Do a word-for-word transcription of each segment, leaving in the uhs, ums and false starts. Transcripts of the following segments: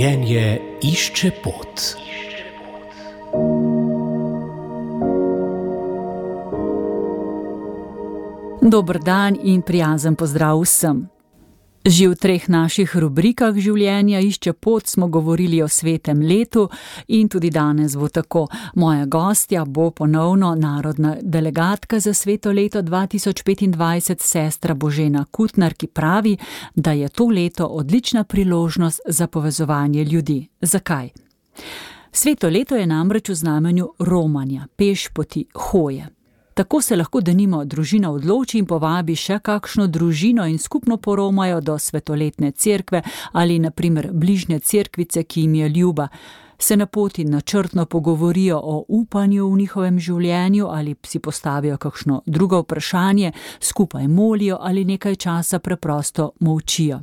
Življenje išče pot. Dober dan in prijazen pozdrav vsem. Že v treh naših rubrikah Življenja išče pot smo govorili o svetem letu in tudi danes bo tako. Moja gostja bo ponovno narodna delegatka za sveto leto dva tisoč petindvajset, sestra Božena Kutnar, ki pravi, da je to leto odlična priložnost za povezovanje ljudi. Zakaj? Sveto leto je namreč v znamenju romanja, pešpoti, hoje. Tako se lahko denimo družina odloči in povabi še kakšno družino in skupno poromajo do svetoletne cerkve ali na primer bližnje cerkvice, ki jim je ljuba. Se na poti načrtno pogovorijo o upanju v njihovem življenju ali si postavijo kakšno drugo vprašanje, skupaj molijo ali nekaj časa preprosto molčijo.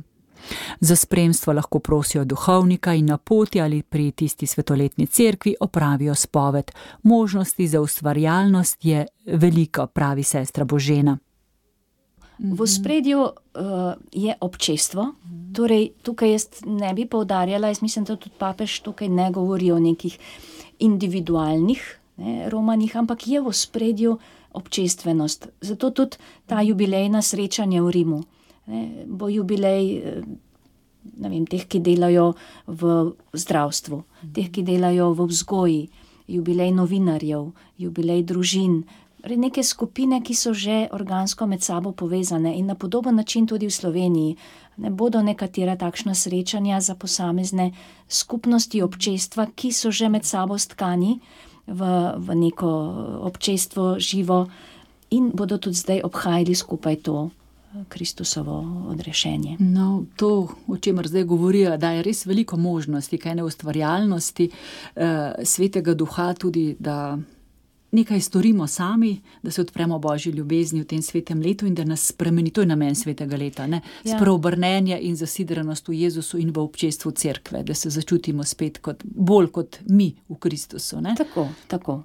Za spremstvo lahko prosijo duhovnika in na poti ali pri tisti svetoletni cerkvi opravijo spoved. Možnosti za ustvarjalnost je veliko, pravi sestra Božena. V ospredju uh, je občestvo, torej tukaj jaz ne bi poudarjala, jaz mislim, da tudi papež tukaj ne govori o nekih individualnih ne, romanih, ampak je v ospredju občestvenost. Zato tudi ta jubilejna srečanja v Rimu. Ne, bo jubilej ne vem, teh, ki delajo v zdravstvu, teh, ki delajo v vzgoji, jubilej novinarjev, jubilej družin, neke skupine, ki so že organsko med sabo povezane in na podoben način tudi v Sloveniji. Ne bodo nekatera takšna srečanja za posamezne skupnosti občestva, ki so že med sabo stkani v, v neko občestvo živo in bodo tudi zdaj obhajali skupaj to Kristusovo odrešenje. No, to, o čemer zdaj govorijo, da je res veliko možnosti, kaj ne ustvarjalnosti, eh, svetega duha tudi, da nekaj storimo sami, da se odpremo Božji ljubezni v tem svetem letu in da nas spremeni, to je namen svetega leta, ne? Ja. Spreobrnenje in zasidranost v Jezusu in v občestvu cerkve, da se začutimo spet kot, bolj kot mi v Kristusu, ne? Tako, tako.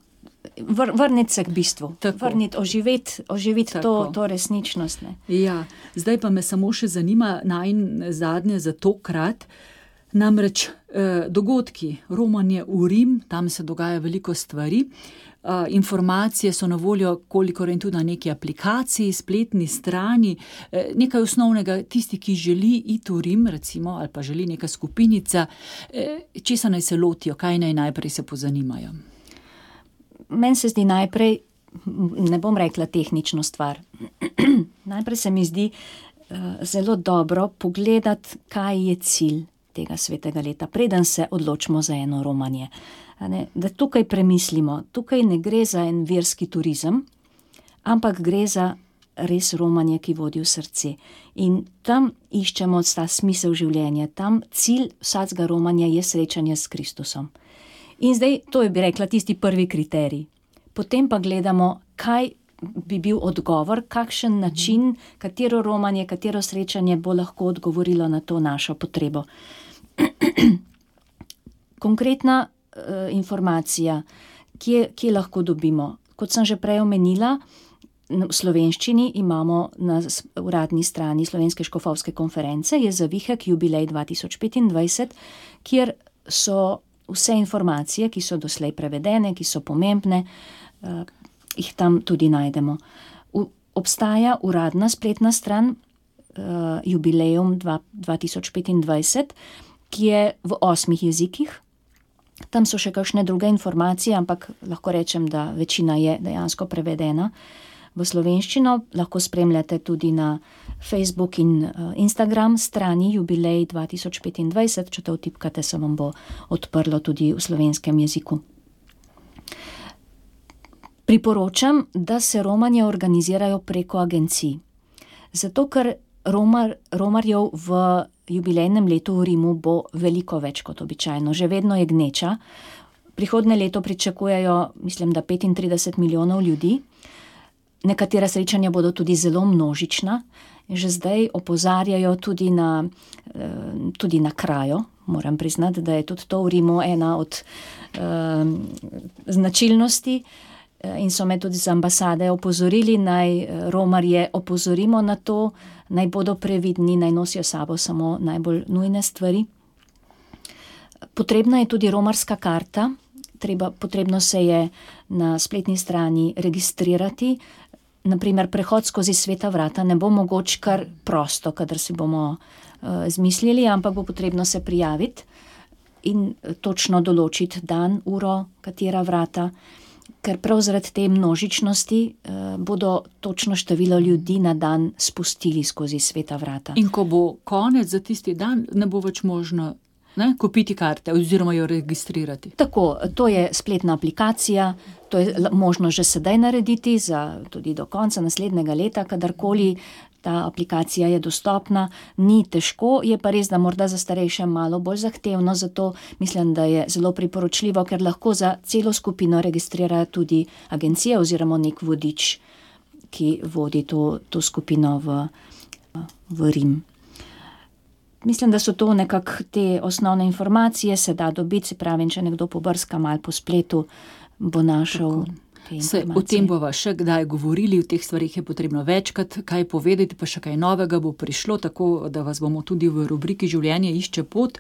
Vr, vrniti se k bistvu, Tako. vrniti, oživeti, oživeti to, Tako. to resničnost. Ne. Ja, zdaj pa me samo še zanima najin zadnje za tokrat, namreč eh, dogodki, romanje v Rim, tam se dogaja veliko stvari, eh, informacije so na voljo, kolikor in tudi na neki aplikaciji, spletni strani, eh, nekaj osnovnega, tisti, ki želi iti v Rim, recimo, ali pa želi neka skupinica, eh, česa naj se lotijo, kaj naj najprej se pozanimajo. Meni se zdi najprej, ne bom rekla tehnično stvar, najprej se mi zdi uh, zelo dobro pogledati, kaj je cilj tega svetega leta, preden se odločimo za eno romanje. Ne, da tukaj premislimo, tukaj ne gre za en verski turizem, ampak gre za res romanje, ki vodi v srce. In tam iščemo ta smisel življenja, tam cilj vsakega romanja je srečanje s Kristusom. In zdaj, to je bi rekla tisti prvi kriterij. Potem pa gledamo, kaj bi bil odgovor, kakšen način, katero romanje, katero srečanje bo lahko odgovorilo na to našo potrebo. Konkretna uh, informacija, kje, kje lahko dobimo. Kot sem že prej omenila, v slovenščini imamo na uradni strani Slovenske škofovske konference, je zavihek jubilej dva tisoč petindvajset, kjer so vse informacije, ki so doslej prevedene, ki so pomembne, uh, jih tam tudi najdemo. U, obstaja uradna spletna stran uh, Jubileum dva tisoč petindvajset, ki je v osmih jezikih. Tam so še kakšne druge informacije, ampak lahko rečem, da večina je dejansko prevedena v slovenščino. Lahko spremljate tudi na Facebook in uh, Instagram strani Jubilej dva tisoč petindvajset, če to vtipkate, se vam bo odprlo tudi v slovenskem jeziku. Priporočam, da se romanje organizirajo preko agencij. Zato, ker romar, romarjev v jubilejnem letu v Rimu bo veliko več kot običajno. Že vedno je gneča. Prihodnje leto pričakujejo, mislim, da petintrideset milijonov ljudi. Nekatera srečanja bodo tudi zelo množična. Že zdaj opozarjajo tudi na, tudi na krajo. Moram priznati, da je tudi to v Rimu ena od um, značilnosti in so me tudi z ambasade opozorili, naj romarje opozorimo na to, naj bodo previdni, naj nosijo sabo samo najbolj nujne stvari. Potrebna je tudi romarska karta, treba, potrebno se je na spletni strani registrirati. Naprimer, prehod skozi sveta vrata ne bo mogoč kar prosto, kadar si bomo uh, zmislili, ampak bo potrebno se prijaviti in točno določiti dan, uro, katera vrata, ker prav zaradi te množičnosti uh, bodo točno število ljudi na dan spustili skozi sveta vrata. In ko bo konec za tisti dan, ne bo več možno Ne, kupiti karte oziroma jo registrirati. Tako, to je spletna aplikacija, to je možno že sedaj narediti, za tudi do konca naslednjega leta, kadarkoli ta aplikacija je dostopna, ni težko, je pa res, da morda za starejše malo bolj zahtevno, zato mislim, da je zelo priporočljivo, ker lahko za celo skupino registrirajo tudi agencije oziroma nek vodič, ki vodi to, to skupino v, v Rim. Mislim, da so to nekako te osnovne informacije, se da dobiti, se pravi, če nekdo pobrska malo po spletu, bo našel te Se, informacije. o tem bova še kdaj govorili, v teh stvarih je potrebno večkrat kaj povedati, pa še kaj novega bo prišlo, tako da vas bomo tudi v rubriki Življenje išče pot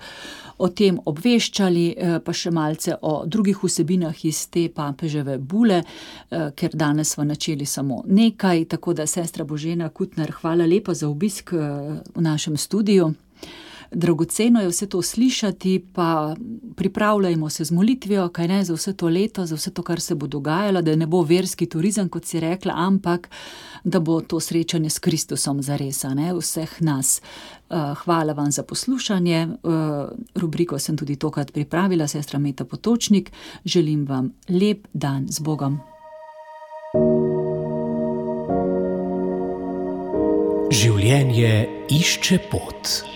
o tem obveščali, pa še malce o drugih vsebinah iz te papeževe bule, ker danes smo načeli samo nekaj, tako da sestra Božena Kutner, hvala lepa za obisk v našem studiu. Dragoceno je vse to slišati, pa pripravljajmo se z molitvijo, kaj ne, za vse to leto, za vse to, kar se bo dogajalo, da ne bo verski turizem, kot si rekla, ampak da bo to srečanje s Kristusom zares, ne, vseh nas. Hvala vam za poslušanje, rubriko sem tudi tokrat pripravila, sestra Meta Potočnik, želim vam lep dan z Bogom. Življenje išče pot.